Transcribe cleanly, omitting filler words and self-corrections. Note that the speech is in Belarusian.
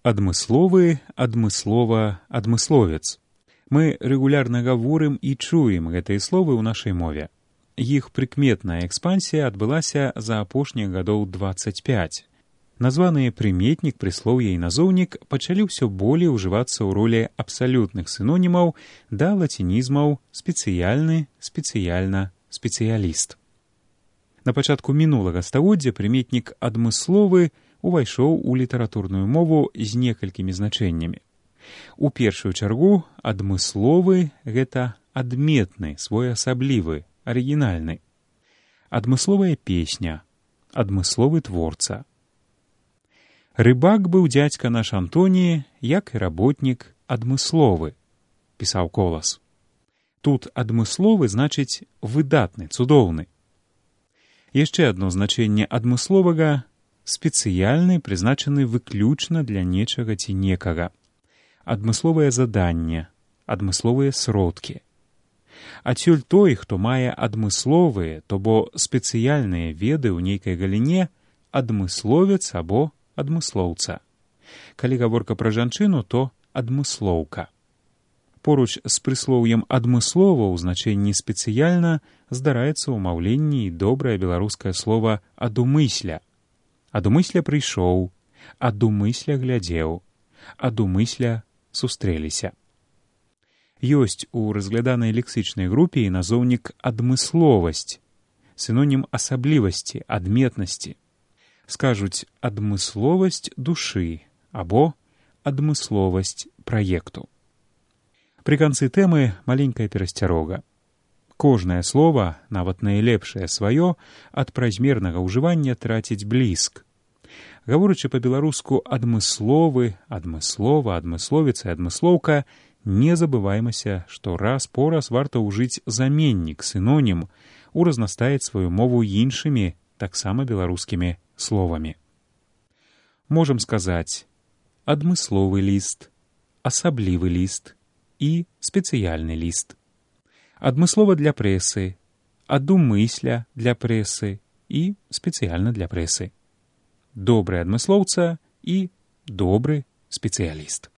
Адмысловы, адмыслова, адмысловец. Мы рэгулярна гаворым і чуем гэтыя словы ў нашай мове. Іх прыкметная экспансія адбылася за апошніх гадоў 25. Названыя прыметнік, прыслоўе і назоўнік пачалі ўсё болей ужывацца ў ролі абсалютных сінонімаў да лацінізмаў спецыяльны, спецыяльна, спецыяліст. На пачатку мінулага стагоддзя прыметнік адмысловы увайшоў у літаратурную мову з некалькімі значэннямі. У першую чаргу адмысловы — гэта адметны, своеасаблівы, арыгінальны. Адмысловая песня, адмысловы творца. Рыбак быў дзядзька наш Антоні, як і работнік адмысловы, пісаў Колас. Тут адмысловы значыць выдатны, цудоўны. Яшчэ адно значэнне адмысловага — спецыяльны, прызначаны выключна для нечага ці некага. Адмысловае заданне, адмысловыя сродкі. Адсюль той, хто мае адмысловыя, то бо спецыяльныя веды ў нейкай галіне, адмысловец або адмыслоўца. Калі гаворка пра жанчыну, то адмыслоўка. Поруч з прыслоўем адмыслова ў значэнні спецыяльна здараецца ў маўленні і добрае беларускае слова адумысля. Адумысля прыйшоў, адумысля глядзеў, адумысля сустрэліся. Ёсць у разгляданай лексічнай групе і назоўнік адмысловасць, сінонім асаблівасці, адметнасці. Скажуць адмысловасць душы або адмысловасць праекту. Пры канцы тэмы маленькая перасцярога. Кожнае слова, нават найлепшае сваё, ад празмернага ўжывання траціць бліск. Гаворачы па-беларуску адмысловы, адмыслова, адмысловец і адмыслоўка, не забываймася, што раз-пораз варта ўжыць заменнік, сінонім, уразнастаіць сваю мову іншымі, таксама беларускімі словамі. Можам сказаць адмысловы ліст, асаблівы ліст і спецыяльны ліст. Адмыслова для прэсы, адумысля для прэсы і спецыяльна для прэсы. Добры адмыслоўца і добры спецыяліст.